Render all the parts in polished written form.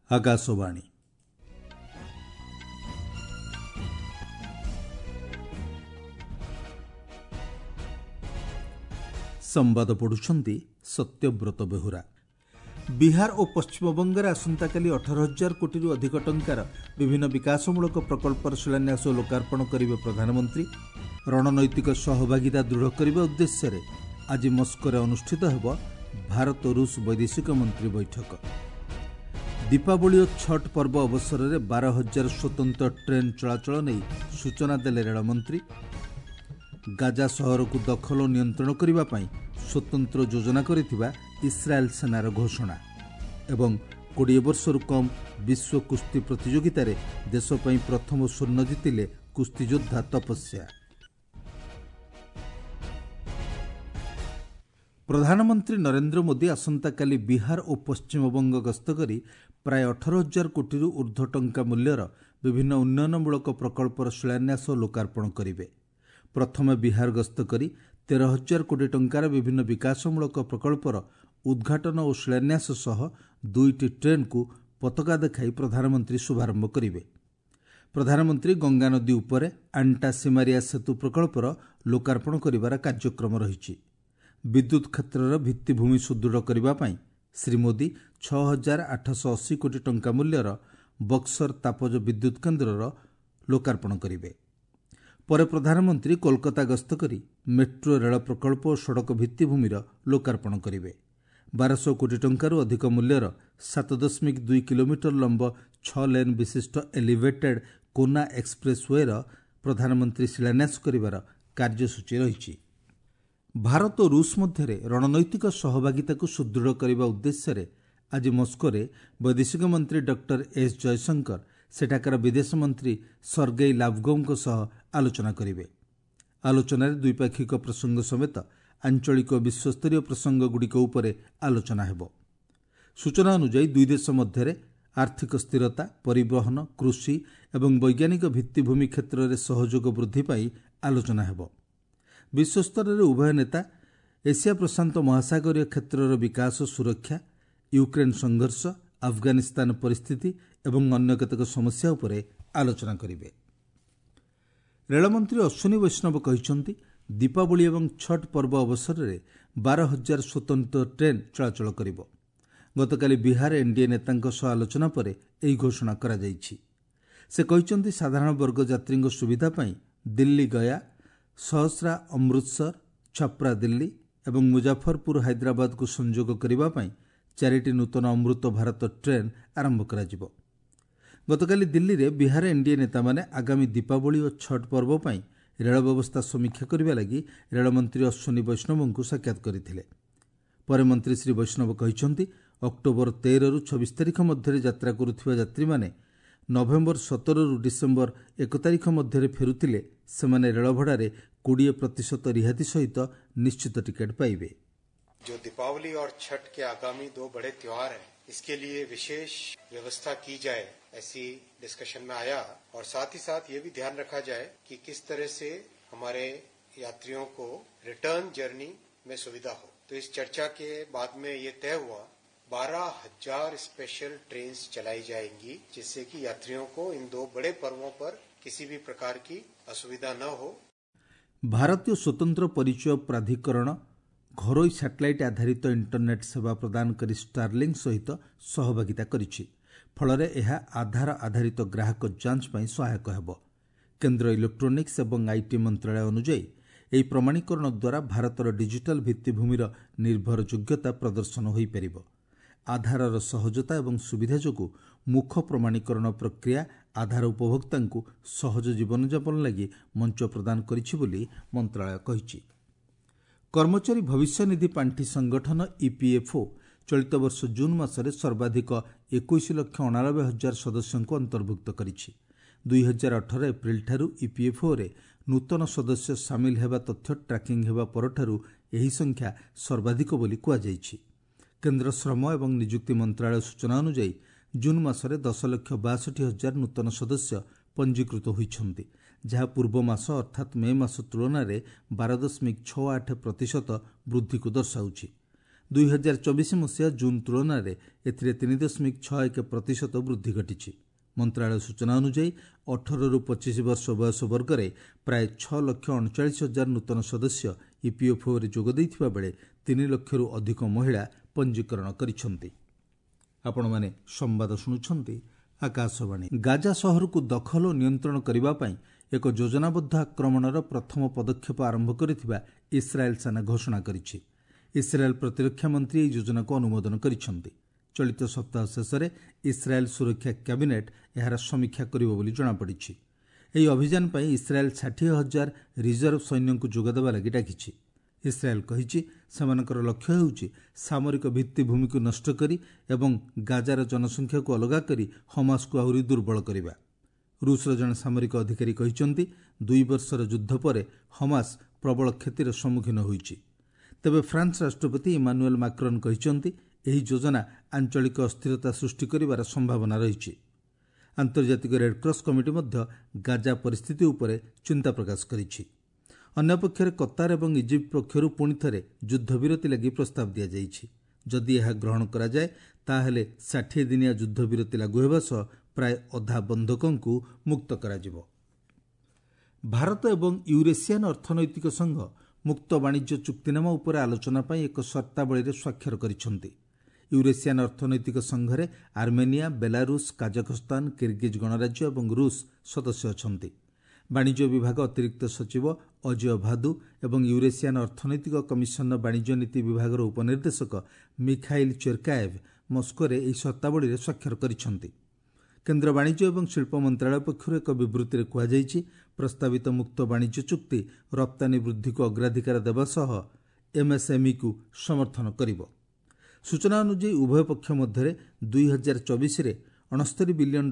ଆକାଶବାଣୀ। ସମ୍ବାଦ ପଢ଼ୁଛନ୍ତି ସତ୍ୟବ୍ରତ ବେହୁରା। ବିହାର ଓ ପଶ୍ଚିମବଙ୍ଗରେ ଆସନ୍ତାକାଲି 18,000 କୋଟିରୁ ଅଧିକ ଟଙ୍କାର ବିଭିନ୍ନ ବିକାଶମୂଳକ ପ୍ରକଳ୍ପର ଶିଳାନ୍ୟାସ ଓ ଲୋକାର୍ପଣ କରିବେ ପ୍ରଧାନମନ୍ତ୍ରୀ। ରଣନୈତିକ ସହଭାଗିତା ଦୃଢ଼ କରିବା ଉଦ୍ଦେଶ୍ୟରେ ଆଜି ମସ୍କୋରେ ଅନୁଷ୍ଠିତ ହେବ ଭାରତ ରୁଷ ବୈଦେଶିକ ମନ୍ତ୍ରୀ ବୈଠକ। ଦୀପାବଳି ଓ ଛଟ୍ ପର୍ବ ଅବସରରେ 12,000 ସ୍ୱତନ୍ତ୍ର ଟ୍ରେନ୍ ଚଳାଚଳ ନେଇ ସୂଚନା ଦେଲେ ରେଳମନ୍ତ୍ରୀ। ଗାଜା ସହରକୁ ଦଖଲ ଓ ନିୟନ୍ତ୍ରଣ କରିବା ପାଇଁ ସ୍ୱତନ୍ତ୍ର ଯୋଜନା କରିଥିବା ଇସ୍ରାଏଲ୍ ସେନାର ଘୋଷଣା। ଏବଂ 20 ବର୍ଷରୁ କମ୍ ବିଶ୍ୱ କୁସ୍ତି ପ୍ରତିଯୋଗିତାରେ ଦେଶ ପାଇଁ ପ୍ରଥମ ସ୍ୱର୍ଣ୍ଣ ଜିତିଲେ କୁସ୍ତିଯୋଦ୍ଧା ତପସ୍ୟା। ପ୍ରଧାନମନ୍ତ୍ରୀ ନରେନ୍ଦ୍ର ମୋଦି ଆସନ୍ତାକାଲି ବିହାର ଓ ପଶ୍ଚିମବଙ୍ଗ ଗସ୍ତ କରି ପ୍ରାୟ 18,000 କୋଟିରୁ ଉର୍ଦ୍ଧ୍ୱ ଟଙ୍କା ମୂଲ୍ୟର ବିଭିନ୍ନ ଉନ୍ନୟନମୂଳକ ପ୍ରକଳ୍ପର ଶିଳାନ୍ୟାସ ଓ ଲୋକାର୍ପଣ କରିବେ। ପ୍ରଥମେ ବିହାର ଗସ୍ତ କରି 13,000 କୋଟି ଟଙ୍କାର ବିଭିନ୍ନ ବିକାଶମୂଳକ ପ୍ରକଳ୍ପର ଉଦ୍ଘାଟନ ଓ ଶିଳାନ୍ୟାସ ସହ 2ଟି ଟ୍ରେନ୍କୁ ପତାକା ଦେଖାଇ ପ୍ରଧାନମନ୍ତ୍ରୀ ଶୁଭାରମ୍ଭ କରିବେ। ପ୍ରଧାନମନ୍ତ୍ରୀ ଗଙ୍ଗାନଦୀ ଉପରେ ଆଣ୍ଟା ସିମାରିଆ ସେତୁ ପ୍ରକଳ୍ପର ଲୋକାର୍ପଣ କରିବାର କାର୍ଯ୍ୟକ୍ରମ ରହିଛି। ବିଦ୍ୟୁତ୍ କ୍ଷେତ୍ରର ଭିତ୍ତିଭୂମି ସୁଦୃଢ଼ କରିବା ପାଇଁ ଶ୍ରୀ ମୋଦି 6,880 କୋଟି ଟଙ୍କା ମୂଲ୍ୟର ବକ୍ସର ତାପଜ ବିଦ୍ୟୁତ୍ କେନ୍ଦ୍ରର ଲୋକାର୍ପଣ କରିବେ। ପରେ ପ୍ରଧାନମନ୍ତ୍ରୀ କୋଲକାତା ଗସ୍ତ କରି ମେଟ୍ରୋ ରେଳ ପ୍ରକଳ୍ପ ଓ ସଡ଼କ ଭିତ୍ତିଭୂମିର ଲୋକାର୍ପଣ କରିବେ। 1,200 କୋଟି ଟଙ୍କାରୁ ଅଧିକ ମୂଲ୍ୟର 7.2 କିଲୋମିଟର ଲମ୍ବ 6 ଲେନ୍ ବିଶିଷ୍ଟ ଏଲିଭେଟେଡ୍ କୋନା ଏକ୍ସପ୍ରେସ୍ ୱେର ପ୍ରଧାନମନ୍ତ୍ରୀ ଶିଳାନ୍ୟାସ କରିବାର କାର୍ଯ୍ୟସୂଚୀ ରହିଛି। ଭାରତ ଓ ରୁଷ ମଧ୍ୟରେ ରଣନୈତିକ ସହଭାଗିତାକୁ ସୁଦୃଢ଼ କରିବା ଉଦ୍ଦେଶ୍ୟରେ ଆଜି ମସ୍କୋରେ ବୈଦେଶିକ ମନ୍ତ୍ରୀ ଡକ୍ଟର ଏସ୍ ଜୟଶଙ୍କର ସେଠାକାର ବିଦେଶ ମନ୍ତ୍ରୀ ସର୍ଗେଇ ଲାଭ୍ରୋଭଙ୍କ ସହ ଆଲୋଚନା କରିବେ। ଆଲୋଚନାରେ ଦ୍ୱିପାକ୍ଷିକ ପ୍ରସଙ୍ଗ ସମେତ ଆଞ୍ଚଳିକ ଓ ବିଶ୍ୱସ୍ତରୀୟ ପ୍ରସଙ୍ଗଗୁଡ଼ିକ ଉପରେ ଆଲୋଚନା ହେବ। ସୂଚନା ଅନୁଯାୟୀ ଦୁଇ ଦେଶ ମଧ୍ୟରେ ଆର୍ଥିକ ସ୍ଥିରତା, ପରିବହନ, କୃଷି ଏବଂ ବୈଜ୍ଞାନିକ ଭିତ୍ତିଭୂମି କ୍ଷେତ୍ରରେ ସହଯୋଗ ବୃଦ୍ଧି ପାଇଁ ଆଲୋଚନା ହେବ। ବିଶ୍ୱସ୍ତରରେ ଉଭୟ ନେତା ଏସିଆ ପ୍ରଶାନ୍ତ ମହାସାଗରୀୟ କ୍ଷେତ୍ରର ବିକାଶ, ସୁରକ୍ଷା, ୟୁକ୍ରେନ୍ ସଂଘର୍ଷ, ଆଫଗାନିସ୍ତାନ ପରିସ୍ଥିତି ଏବଂ ଅନ୍ୟ କେତେକ ସମସ୍ୟା ଉପରେ ଆଲୋଚନା କରିବେ। ରେଳମନ୍ତ୍ରୀ ଅଶ୍ୱିନୀ ବୈଷ୍ଣବ କହିଛନ୍ତି, ଦୀପାବଳି ଏବଂ ଛଟ୍ ପର୍ବ ଅବସରରେ 12,000 ସ୍ୱତନ୍ତ୍ର ଟ୍ରେନ୍ ଚଳାଚଳ କରିବ। ଗତକାଲି ବିହାର ଏନ୍ଡିଏ ନେତାଙ୍କ ସହ ଆଲୋଚନା ପରେ ଏହି ଘୋଷଣା କରାଯାଇଛି। ସେ କହିଛନ୍ତି, ସାଧାରଣ ବର୍ଗ ଯାତ୍ରୀଙ୍କ ସୁବିଧା ପାଇଁ ଦିଲ୍ଲୀ ଗୟା, ସହସ୍ରା ଅମୃତସର, ଛପ୍ରା ଦିଲ୍ଲୀ ଏବଂ ମୁଜାଫରପୁର ହାଇଦ୍ରାବାଦକୁ ସଂଯୋଗ କରିବା ପାଇଁ 4ଟି ନୂତନ ଅମୃତ ଭାରତ ଟ୍ରେନ୍ ଆରମ୍ଭ କରାଯିବ। ଗତକାଲି ଦିଲ୍ଲୀରେ ବିହାର ଏନ୍ଡିଏ ନେତାମାନେ ଆଗାମୀ ଦୀପାବଳି ଓ ଛଟ୍ ପର୍ବ ପାଇଁ ରେଳ ବ୍ୟବସ୍ଥା ସମୀକ୍ଷା କରିବା ଲାଗି ରେଳମନ୍ତ୍ରୀ ଅଶ୍ୱିନୀ ବୈଷ୍ଣବଙ୍କୁ ସାକ୍ଷାତ କରିଥିଲେ। ପରେ ମନ୍ତ୍ରୀ ଶ୍ରୀ ବୈଷ୍ଣବ କହିଛନ୍ତି, ଅକ୍ଟୋବର 13ରୁ 26 ତାରିଖ ମଧ୍ୟରେ ଯାତ୍ରା କରୁଥିବା ଯାତ୍ରୀମାନେ ନଭେମ୍ବର 17ରୁ ଡିସେମ୍ବର 1 ତାରିଖ ମଧ୍ୟରେ ଫେରୁଥିଲେ ସେମାନେ ରେଳଭଡ଼ାରେ 20% ରିହାତି ସହିତ ନିଶ୍ଚିତ ଟିକେଟ୍ ପାଇବେ। जो दीपावली और छठ के आगामी 2 बड़े त्योहार हैं, इसके लिए विशेष व्यवस्था की जाए, ऐसी डिस्कशन में आया। और साथ ही साथ ये भी ध्यान रखा जाए कि किस तरह से हमारे यात्रियों को रिटर्न जर्नी में सुविधा हो। तो इस चर्चा के बाद में ये तय हुआ 12,000 स्पेशल ट्रेन चलाई जाएंगी, जिससे कि यात्रियों को इन 2 बड़े पर्वों पर किसी भी प्रकार की असुविधा न हो। ଭାରତୀୟ ସ୍ୱତନ୍ତ୍ର ପରିଚୟ ପ୍ରାଧିକରଣ ଘରୋଇ ସାଟେଲାଇଟ୍ ଆଧାରିତ ଇଣ୍ଟରନେଟ୍ ସେବା ପ୍ରଦାନକାରୀ ଷ୍ଟାରଲିଙ୍କ୍ ସହିତ ସହଭାଗିତା କରିଛି। ଫଳରେ ଏହା ଆଧାର ଆଧାରିତ ଗ୍ରାହକ ଯାଞ୍ଚ ପାଇଁ ସହାୟକ ହେବ। କେନ୍ଦ୍ର ଇଲେକ୍ଟ୍ରୋନିକ୍ସ ଏବଂ IT ମନ୍ତ୍ରଣାଳୟ ଅନୁଯାୟୀ ଏହି ପ୍ରମାଣୀକରଣ ଦ୍ୱାରା ଭାରତର ଡିଜିଟାଲ ଭିତ୍ତିଭୂମିର ନିର୍ଭରଯୋଗ୍ୟତା ପ୍ରଦର୍ଶନ ହୋଇପାରିବ। ଆଧାରର ସହଜତା ଏବଂ ସୁବିଧା ଯୋଗୁଁ ମୁଖ ପ୍ରମାଣୀକରଣ ପ୍ରକ୍ରିୟା ଆଧାର ଉପଭୋକ୍ତାଙ୍କୁ ସହଜ ଜୀବନଯାପନ ଲାଗି ମଞ୍ଚ ପ୍ରଦାନ କରିଛି ବୋଲି ମନ୍ତ୍ରଣାଳୟ କହିଛି। କର୍ମଚାରୀ ଭବିଷ୍ୟନିଧି ପାଣ୍ଠି ସଂଗଠନ ଇପିଏଫ୍ଓ ଚଳିତ ବର୍ଷ ଜୁନ୍ ମାସରେ ସର୍ବାଧିକ 21,89,000 ସଦସ୍ୟଙ୍କୁ ଅନ୍ତର୍ଭୁକ୍ତ କରିଛି। 2018 ଏପ୍ରିଲଠାରୁ ଇପିଏଫ୍ଓରେ ନୂତନ ସଦସ୍ୟ ସାମିଲ ହେବା ତଥ୍ୟ ଟ୍ରାକିଂ ହେବା ପରଠାରୁ ଏହି ସଂଖ୍ୟା ସର୍ବାଧିକ ବୋଲି କୁହାଯାଇଛି। କେନ୍ଦ୍ର ଶ୍ରମ ଏବଂ ନିଯୁକ୍ତି ମନ୍ତ୍ରଣାଳୟ ସୂଚନା ଅନୁଯାୟୀ ଜୁନ୍ ମାସରେ 10,62,000 ନୂତନ ସଦସ୍ୟ ପଞ୍ଜୀକୃତ ହୋଇଛନ୍ତି, ଯାହା ପୂର୍ବ ମାସ ଅର୍ଥାତ୍ ମେ ମାସ ତୁଳନାରେ 12.68% ବୃଦ୍ଧିକୁ ଦର୍ଶାଉଛି। 2024 ମସିହା ଜୁନ୍ ତୁଳନାରେ ଏଥିରେ 3.61% ବୃଦ୍ଧି ଘଟିଛି। ମନ୍ତ୍ରାଳୟ ସୂଚନା ଅନୁଯାୟୀ 18ରୁ 25 ବର୍ଷ ବୟସ ବର୍ଗରେ ପ୍ରାୟ 6,39,000 ନୂତନ ସଦସ୍ୟ ଇପିଏଫ୍ଓରେ ଯୋଗ ଦେଇଥିବା ବେଳେ 3 ଲକ୍ଷରୁ ଅଧିକ ମହିଳା ପଞ୍ଜୀକରଣ କରିଛନ୍ତି। ଆପଣମାନେ ସମ୍ବାଦ ଶୁଣୁଛନ୍ତି ଆକାଶବାଣୀ। ଗାଜା ସହରକୁ ଦଖଲ ଓ ନିୟନ୍ତ୍ରଣ କରିବା ପାଇଁ ଏକ ଯୋଜନାବଦ୍ଧ ଆକ୍ରମଣର ପ୍ରଥମ ପଦକ୍ଷେପ ଆରମ୍ଭ କରିଥିବା ଇସ୍ରାଏଲ୍ ସେନା ଘୋଷଣା କରିଛି। ଇସ୍ରାଏଲ୍ ପ୍ରତିରକ୍ଷା ମନ୍ତ୍ରୀ ଏହି ଯୋଜନାକୁ ଅନୁମୋଦନ କରିଛନ୍ତି। ଚଳିତ ସପ୍ତାହ ଶେଷରେ ଇସ୍ରାଏଲ୍ ସୁରକ୍ଷା କ୍ୟାବିନେଟ୍ ଏହାର ସମୀକ୍ଷା କରିବ ବୋଲି ଜଣାପଡ଼ିଛି। ଏହି ଅଭିଯାନ ପାଇଁ ଇସ୍ରାଏଲ୍ 60,000 ରିଜର୍ଭ ସୈନ୍ୟଙ୍କୁ ଯୋଗଦେବା ଲାଗି ଡାକିଛି। ଇସ୍ରାଏଲ୍ କହିଛି ସେମାନଙ୍କର ଲକ୍ଷ୍ୟ ହେଉଛି ସାମରିକ ଭିତ୍ତିଭୂମିକୁ ନଷ୍ଟ କରି ଏବଂ ଗାଜାର ଜନସଂଖ୍ୟାକୁ ଅଲଗା କରି ହମାସକୁ ଆହୁରି ଦୁର୍ବଳ କରିବା। ରୁଷର ଜଣେ ସାମରିକ ଅଧିକାରୀ କହିଛନ୍ତି 2 ବର୍ଷର ଯୁଦ୍ଧ ପରେ ହମାସ ପ୍ରବଳ କ୍ଷତିର ସମ୍ମୁଖୀନ ହୋଇଛି। ତେବେ ଫ୍ରାନ୍ସ ରାଷ୍ଟ୍ରପତି ଇମାନୁଏଲ୍ ମାକ୍ରନ୍ କହିଛନ୍ତି ଏହି ଯୋଜନା ଆଞ୍ଚଳିକ ଅସ୍ଥିରତା ସୃଷ୍ଟି କରିବାର ସମ୍ଭାବନା ରହିଛି। ଆନ୍ତର୍ଜାତିକ ରେଡ୍କ୍ରସ୍ କମିଟି ମଧ୍ୟ ଗାଜା ପରିସ୍ଥିତି ଉପରେ ଚିନ୍ତା ପ୍ରକାଶ କରିଛି। ଅନ୍ୟପକ୍ଷରେ କତାର ଏବଂ ଇଜିପ୍ଟ ପକ୍ଷରୁ ପୁଣି ଥରେ ଯୁଦ୍ଧବିରତି ଲାଗି ପ୍ରସ୍ତାବ ଦିଆଯାଇଛି। ଯଦି ଏହା ଗ୍ରହଣ କରାଯାଏ ତାହେଲେ 60 ଦିନିଆ ଯୁଦ୍ଧବିରତି ଲାଗୁ ହେବା ସହ ପ୍ରାୟ ଅଧା ବନ୍ଧକଙ୍କୁ ମୁକ୍ତ କରାଯିବ। ଭାରତ ଏବଂ ୟୁରେସିଆନ୍ ଅର୍ଥନୈତିକ ସଂଘ ମୁକ୍ତ ବାଣିଜ୍ୟ ଚୁକ୍ତିନାମା ଉପରେ ଆଲୋଚନା ପାଇଁ ଏକ ସର୍ତ୍ତାବଳୀରେ ସ୍ୱାକ୍ଷର କରିଛନ୍ତି। ୟୁରେସିଆନ୍ ଅର୍ଥନୈତିକ ସଂଘରେ ଆର୍ମେନିଆ, ବେଲାରୁଷ, କାଜାଖସ୍ତାନ, କିର୍ଗିଜ୍ ଗଣରାଜ୍ୟ ଏବଂ ରୁଷ ସଦସ୍ୟ ଅଛନ୍ତି। ବାଣିଜ୍ୟ ବିଭାଗ ଅତିରିକ୍ତ ସଚିବ ଅଜୟ ଭାଦୁ ଏବଂ ୟୁରେସିଆନ୍ ଅର୍ଥନୈତିକ କମିଶନର ବାଣିଜ୍ୟ ନୀତି ବିଭାଗର ଉପନିର୍ଦ୍ଦେଶକ ମିଖାଇଲ୍ ଚେର୍କାଏଭ୍ ମସ୍କୋରେ ଏହି ସର୍ତ୍ତାବଳୀରେ ସ୍ୱାକ୍ଷର କରିଛନ୍ତି। କେନ୍ଦ୍ର ବାଣିଜ୍ୟ ଏବଂ ଶିଳ୍ପ ମନ୍ତ୍ରାଳୟ ପକ୍ଷରୁ ଏକ ବିବୃତ୍ତିରେ କୁହାଯାଇଛି ପ୍ରସ୍ତାବିତ ମୁକ୍ତ ବାଣିଜ୍ୟ ଚୁକ୍ତି ରପ୍ତାନୀ ବୃଦ୍ଧିକୁ ଅଗ୍ରାଧିକାର ଦେବା ସହ ଏମ୍ଏସ୍ଏମ୍ଇକୁ ସମର୍ଥନ କରିବ। ସୂଚନା ଅନୁଯାୟୀ ଉଭୟ ପକ୍ଷ ମଧ୍ୟରେ 2024ରେ $69 ବିଲିୟନ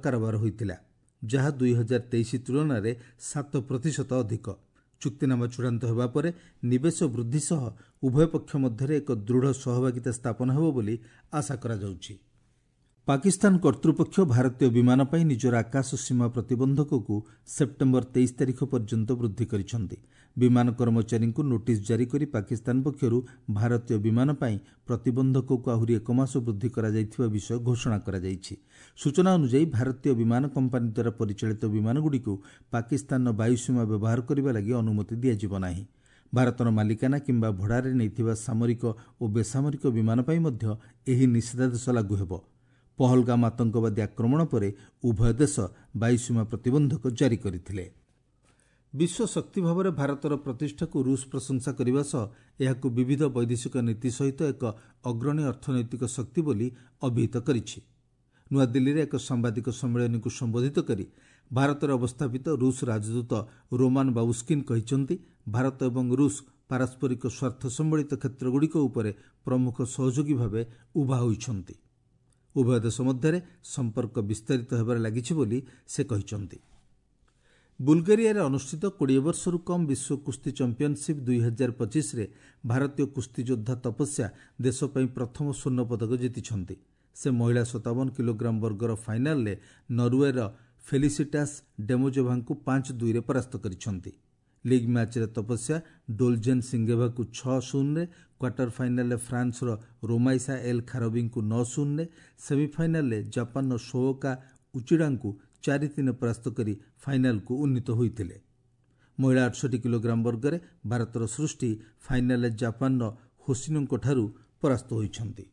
କାରବାର ହୋଇଥିଲା, ଯାହା 2023 ତୁଳନାରେ 7% ଅଧିକ। ଚୁକ୍ତିନାମା ଚୂଡ଼ାନ୍ତ ହେବା ପରେ ନିବେଶ ବୃଦ୍ଧି ସହ ଉଭୟ ପକ୍ଷ ମଧ୍ୟରେ ଏକ ଦୃଢ଼ ସହଭାଗିତା ସ୍ଥାପନ ହେବ ବୋଲି ଆଶା କରାଯାଉଛି। ପାକିସ୍ତାନ କର୍ତ୍ତୃପକ୍ଷ ଭାରତୀୟ ବିମାନ ପାଇଁ ନିଜର ଆକାଶ ସୀମା ପ୍ରତିବନ୍ଧକକୁ ସେପ୍ଟେମ୍ବର 23 ତାରିଖ ପର୍ଯ୍ୟନ୍ତ ବୃଦ୍ଧି କରିଛନ୍ତି। ବିମାନ କର୍ମଚାରୀଙ୍କୁ ନୋଟିସ୍ ଜାରି କରି ପାକିସ୍ତାନ ପକ୍ଷରୁ ଭାରତୀୟ ବିମାନ ପାଇଁ ପ୍ରତିବନ୍ଧକକୁ ଆହୁରି 1 ମାସ ବୃଦ୍ଧି କରାଯାଇଥିବା ବିଷୟ ଘୋଷଣା କରାଯାଇଛି। ସୂଚନା ଅନୁଯାୟୀ ଭାରତୀୟ ବିମାନ କମ୍ପାନୀ ଦ୍ୱାରା ପରିଚାଳିତ ବିମାନଗୁଡ଼ିକୁ ପାକିସ୍ତାନର ବାୟୁସୀମା ବ୍ୟବହାର କରିବା ଲାଗି ଅନୁମତି ଦିଆଯିବ ନାହିଁ। ଭାରତର ମାଲିକାନା କିମ୍ବା ଭଡ଼ାରେ ନେଇଥିବା ସାମରିକ ଓ ବେସାମରିକ ବିମାନ ପାଇଁ ମଧ୍ୟ ଏହି ନିଷେଧାଦେଶ ଲାଗୁ ହେବ। ପହଲଗାମ ଆତଙ୍କବାଦୀ ଆକ୍ରମଣ ପରେ ଉଭୟ ଦେଶ ବାୟୁସୀମା ପ୍ରତିବନ୍ଧକ ଜାରି କରିଥିଲେ। ବିଶ୍ୱ ଶକ୍ତି ଭାବରେ ଭାରତର ପ୍ରତିଷ୍ଠାକୁ ରୁଷ ପ୍ରଶଂସା କରିବା ସହ ଏହାକୁ ବିବିଧ ବୈଦେଶିକ ନୀତି ସହିତ ଏକ ଅଗ୍ରଣୀ ଅର୍ଥନୈତିକ ଶକ୍ତି ବୋଲି ଅଭିହିତ କରିଛି। ନୂଆଦିଲ୍ଲୀରେ ଏକ ସାମ୍ବାଦିକ ସମ୍ମିଳନୀକୁ ସମ୍ବୋଧିତ କରି ଭାରତରେ ଅବସ୍ଥାପିତ ରୁଷ ରାଜଦୂତ ରୋମାନ ବାବୁସ୍କିନ୍ କହିଛନ୍ତି ଭାରତ ଏବଂ ରୁଷ ପାରସ୍ପରିକ ସ୍ୱାର୍ଥ ସମ୍ବଳିତ କ୍ଷେତ୍ରଗୁଡ଼ିକ ଉପରେ ପ୍ରମୁଖ ସହଯୋଗୀ ଭାବେ ଉଭା ହୋଇଛନ୍ତି। ଉଭୟ ଦେଶ ମଧ୍ୟରେ ସମ୍ପର୍କ ବିସ୍ତାରିତ ହେବାରେ ଲାଗିଛି ବୋଲି ସେ କହିଛନ୍ତି। ବୁଲଗେରିଆରେ ଅନୁଷ୍ଠିତ 20 ବର୍ଷରୁ କମ୍ ବିଶ୍ୱ କୁସ୍ତି ଚାମ୍ପିଅନସିପ୍ 2025ରେ ଭାରତୀୟ କୁସ୍ତିଯୋଦ୍ଧା ତପସ୍ୟା ଦେଶ ପାଇଁ ପ୍ରଥମ ସ୍ୱର୍ଣ୍ଣ ପଦକ ଜିତିଛନ୍ତି। ସେ ମହିଳା 57 କିଲୋଗ୍ରାମ ବର୍ଗର ଫାଇନାଲରେ ନରୱେର ଫେଲିସିଟାସ୍ ଡେମୋଜୋଭାଙ୍କୁ 5-2ରେ ପରାସ୍ତ କରିଛନ୍ତି। ଲିଗ୍ ମ୍ୟାଚ୍ରେ ତପସ୍ୟା ଡୋଲଜେନ୍ ସିଙ୍ଗେଭାକୁ 6-0ରେ, କ୍ୱାର୍ଟର ଫାଇନାଲରେ ଫ୍ରାନ୍ସର ରୋମାଇସା ଏଲ୍ ଖାରବିଙ୍କୁ 9-0ରେ, ସେମିଫାଇନାଲରେ ଜାପାନର ସୋଓକା ଉଚିଡାଙ୍କୁ 4-3 ପରାସ୍ତ କରି ଫାଇନାଲକୁ ଉନ୍ନୀତ ହୋଇଥିଲେ। ମହିଳା 68 କିଲୋଗ୍ରାମ ବର୍ଗରେ ଭାରତର ସୃଷ୍ଟି ଫାଇନାଲରେ ଜାପାନର ହୋସିନୋଙ୍କଠାରୁ ପରାସ୍ତ ହୋଇଛନ୍ତି।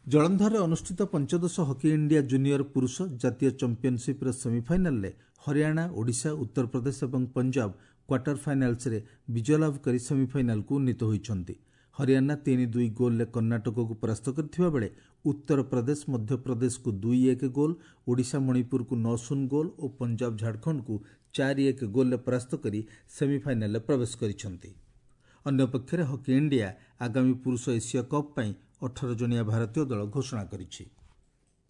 ଜଳନ୍ଧରରେ ଅନୁଷ୍ଠିତ ପଞ୍ଚଦଶ ହକି ଇଣ୍ଡିଆ ଜୁନିୟର ପୁରୁଷ ଜାତୀୟ ଚାମ୍ପିଅନସିପ୍ର ସେମିଫାଇନାଲରେ ହରିୟାଣା, ଓଡ଼ିଶା, ଉତ୍ତରପ୍ରଦେଶ ଏବଂ ପଞ୍ଜାବ କ୍ୱାର୍ଟର ଫାଇନାଲ୍ସରେ ବିଜୟ ଲାଭ କରି ସେମିଫାଇନାଲକୁ ଉନ୍ନୀତ ହୋଇଛନ୍ତି। ହରିୟାଣା 3-2 ଗୋଲ୍ରେ କର୍ଣ୍ଣାଟକକୁ ପରାସ୍ତ କରିଥିବା ବେଳେ ଉତ୍ତରପ୍ରଦେଶ ମଧ୍ୟପ୍ରଦେଶକୁ 2-1 ଗୋଲ୍, ଓଡ଼ିଶା ମଣିପୁରକୁ 9-0 ଗୋଲ୍ ଓ ପଞ୍ଜାବ ଝାଡ଼ଖଣ୍ଡକୁ 4-1 ଗୋଲ୍ରେ ପରାସ୍ତ କରି ସେମିଫାଇନାଲରେ ପ୍ରବେଶ କରିଛନ୍ତି। ଅନ୍ୟପକ୍ଷରେ ହକି ଇଣ୍ଡିଆ ଆଗାମୀ ପୁରୁଷ ଏସୀୟ କପ୍ ପାଇଁ 18 ଜଣିଆ ଭାରତୀୟ ଦଳ ଘୋଷଣା କରିଛି।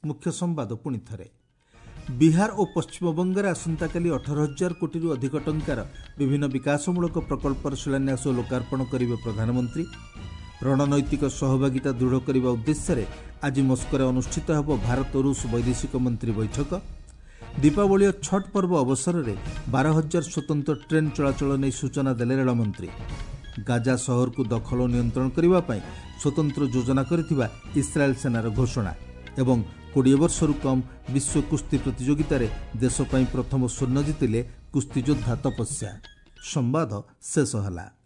ମୁଖ୍ୟ ସମ୍ବାଦ ପୁଣି ଥରେ। ବିହାର ଓ ପଶ୍ଚିମବଙ୍ଗରେ ଆସନ୍ତାକାଲି 18,000 କୋଟିରୁ ଅଧିକ ଟଙ୍କାର ବିଭିନ୍ନ ବିକାଶମୂଳକ ପ୍ରକଳ୍ପର ଶିଳାନ୍ୟାସ ଓ ଲୋକାର୍ପଣ କରିବେ ପ୍ରଧାନମନ୍ତ୍ରୀ। ରଣନୈତିକ ସହଭାଗିତା ଦୃଢ଼ କରିବା ଉଦ୍ଦେଶ୍ୟରେ ଆଜି ମସ୍କୋରେ ଅନୁଷ୍ଠିତ ହେବ ଭାରତ ରୁଷ ବୈଦେଶିକ ମନ୍ତ୍ରୀ ବୈଠକ। ଦୀପାବଳି ଓ ଛଟ୍ ପର୍ବ ଅବସରରେ 12,000 ସ୍ୱତନ୍ତ୍ର ଟ୍ରେନ୍ ଚଳାଚଳ ନେଇ ସୂଚନା ଦେଲେ ରେଳମନ୍ତ୍ରୀ। ଗାଜା ସହରକୁ ଦଖଲ ଓ ନିୟନ୍ତ୍ରଣ କରିବା ପାଇଁ ସ୍ୱତନ୍ତ୍ର ଯୋଜନା କରିଥିବା ଇସ୍ରାଏଲ୍ ସେନାର ଘୋଷଣା। ଏବଂ 20 ବର୍ଷରୁ କମ୍ ବିଶ୍ୱ କୁସ୍ତି ପ୍ରତିଯୋଗିତାରେ ଦେଶ ପାଇଁ ପ୍ରଥମ ସ୍ୱର୍ଣ୍ଣ ଜିତିଲେ କୁସ୍ତିଯୋଦ୍ଧା ତପସ୍ୟା। ସମ୍ବାଦ ଶେଷ ହେଲା।